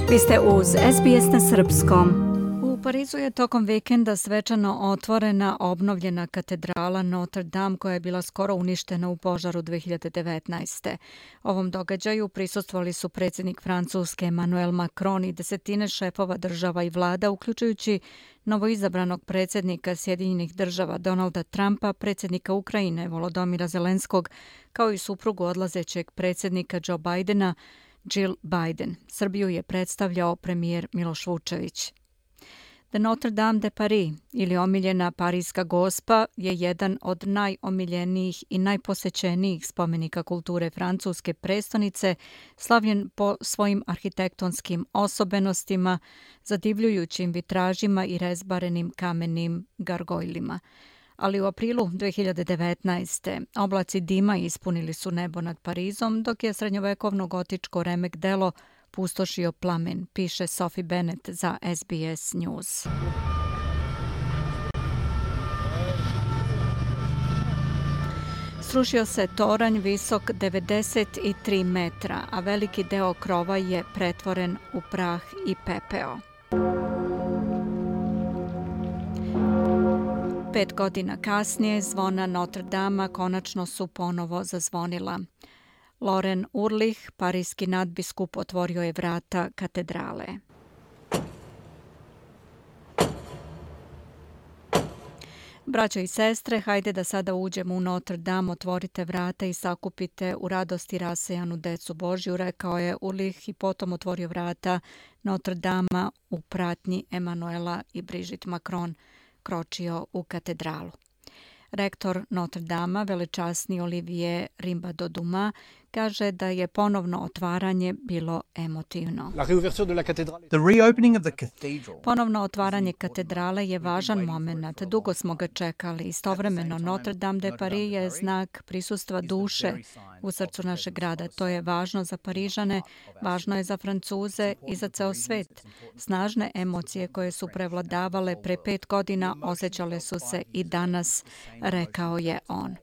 Vi ste uz SBS na srpskom. U Parizu je tokom vikenda svečano otvorena obnovljena katedrala Notre Dame koja je bila skoro uništena u požaru 2019. Ovom događaju prisustvovali su predsjednik Francuske Emmanuel Macron i desetine šefova država i vlada, uključujući novoizabranog predsjednika Sjedinjenih država Donalda Trumpa, predsjednika Ukrajine Volodymyra Zelenskog, kao i suprugu odlazećeg predsjednika Joe Bidena, Jill Biden. Srbiju je predstavljao premijer Miloš Vučević. The Notre Dame de Paris, ili omiljena Parijska gospa, je jedan od najomiljenijih i najposećenijih spomenika kulture francuske prestonice, slavljen po svojim arhitektonskim osobenostima, zadivljujućim vitražima i rezbarenim kamenim gargojlima. Ali u aprilu 2019. oblaci dima ispunili su nebo nad Parizom, dok je srednjovekovno gotičko remek delo pustošio plamen, piše Sophie Bennett za SBS News. Srušio se toranj visok 93 metra, a veliki deo krova je pretvoren u prah i pepeo. 5 godina kasnije zvona Notre Dama konačno su ponovo zazvonila. Laurent Urlich, parijski nadbiskup, otvorio je vrata katedrale. Braćo i sestre, hajde da sada uđemo u Notre Dame, otvorite vrata i sakupite u radosti rasejanu decu Božju, rekao je Urlich i potom otvorio vrata Notre Dama u pratnji Emanuela i Brigitte Macron kročio u katedralu. Rektor Notre Dama, velečasni Olivier Rimbaud-Dumas, kaže da je ponovno otvaranje bilo emotivno. Ponovno otvaranje katedrale je važan moment. Dugo smo ga čekali. Istovremeno, Notre Dame de Paris je znak prisustva duše u srcu našeg grada. To je važno za Parižane, važno je za Francuze i za ceo svet. Snažne emocije koje su prevladavale pre 5 godina osjećale su se i danas, rekao je on.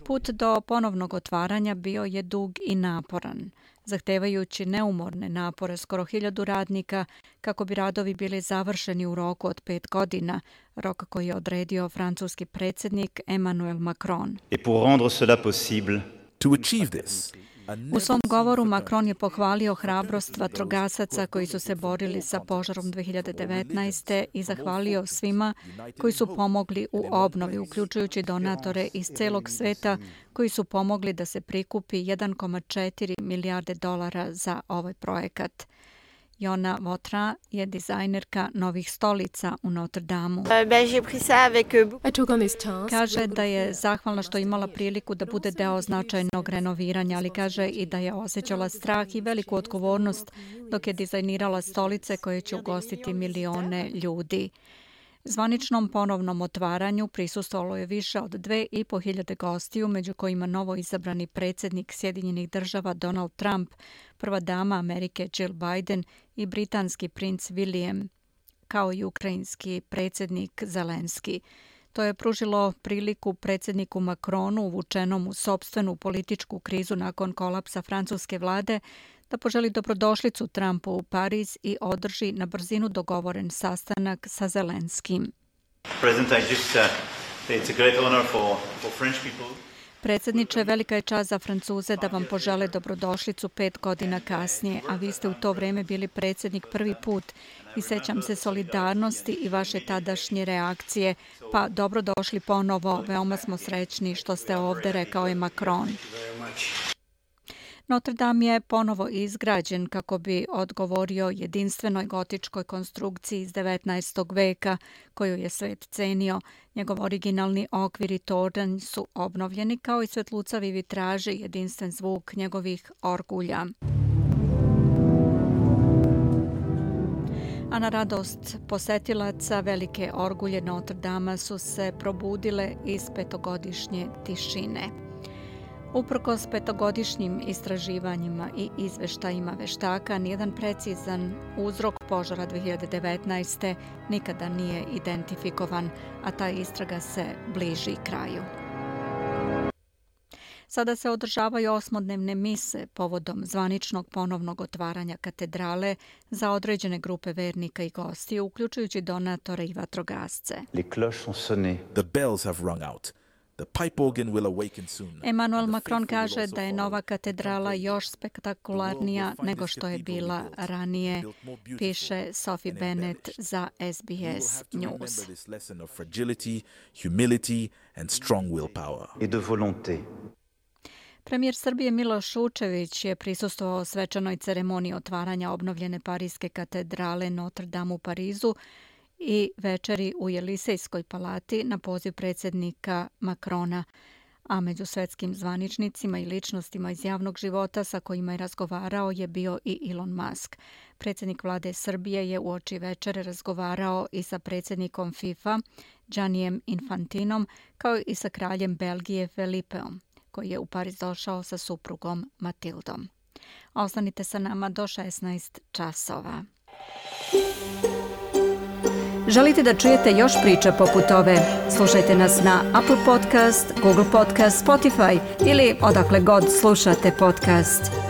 Put do ponovnog otvaranja bio je dug i naporan, zahtevajući neumorne napore skoro 1000 radnika kako bi radovi bili završeni u roku od 5 godina, rok koji je odredio francuski predsjednik Emmanuel Macron. U svom govoru Macron je pohvalio hrabrost vatrogasaca koji su se borili sa požarom 2019. i zahvalio svima koji su pomogli u obnovi, uključujući donatore iz celog sveta koji su pomogli da se prikupi 1,4 milijarde dolara za ovaj projekat. Jona Vautrin je dizajnerka novih stolica u Notre Dameu. Kaže da je zahvalna što je imala priliku da bude deo značajnog renoviranja, ali kaže i da je osjećala strah i veliku odgovornost dok je dizajnirala stolice koje će ugostiti milione ljudi. Zvaničnom ponovnom otvaranju prisustvovalo je više od 2500 gostiju, među kojima novo izabrani predsjednik Sjedinjenih država Donald Trump, prva dama Amerike Jill Biden i britanski princ William, kao i ukrajinski predsjednik Zelenski. To je pružilo priliku predsjedniku Macronu, uvučenom u sopstvenu političku krizu nakon kolapsa francuske vlade, da poželi dobrodošlicu Trumpu u Pariz i održi na brzinu dogovoren sastanak sa Zelenskim. Predsjedniče, velika je čast za Francuze da vam požele dobrodošlicu 5 godina kasnije, a vi ste u to vrijeme bili predsjednik prvi put i sećam se solidarnosti i vaše tadašnje reakcije, pa dobrodošli ponovo, veoma smo srećni što ste ovdje, rekao je Macron. Notre Dame je ponovo izgrađen kako bi odgovorio jedinstvenoj gotičkoj konstrukciji iz 19. veka koju je svet cenio. Njegov originalni okvir i toranj su obnovljeni kao i svetlucavi vitraži, jedinstven zvuk njegovih orgulja. A na radost posetilaca velike orgulje Notre Dama su se probudile iz 5-godišnje tišine. Uprkos 5-godišnjim istraživanjima i izveštajima veštaka, nijedan precizan uzrok požara 2019. nikada nije identifikovan, a ta istraga se bliži kraju. Sada se održavaju 8-dnevne mise povodom zvaničnog ponovnog otvaranja katedrale za određene grupe vernika i gostiju, uključujući donatore i vatrogasce. The bells have rung out. The pipe organ will awaken soon. Emmanuel Macron kaže da je nova katedrala još spektakularnija nego što je bila ranije, piše Sophie Bennett za SBS News. Premijer Srbije Miloš Vučević je prisustvovao svečanoj ceremoniji otvaranja obnovljene Pariske katedrale Notre Dame u Parizu i večeri u Jelisejskoj palati na poziv predsjednika Macrona, a među svetskim zvaničnicima i ličnostima iz javnog života sa kojima je razgovarao je bio i Elon Musk. Predsjednik vlade Srbije je uoči večere razgovarao i sa predsjednikom FIFA, Giannijem Infantinom, kao i sa kraljem Belgije Felipeom, koji je u Pariz došao sa suprugom Matildom. Ostanite sa nama do 16 časova. Želite da čujete još priča poput ove? Slušajte nas na Apple Podcast, Google Podcast, Spotify ili odakle god slušate podcast.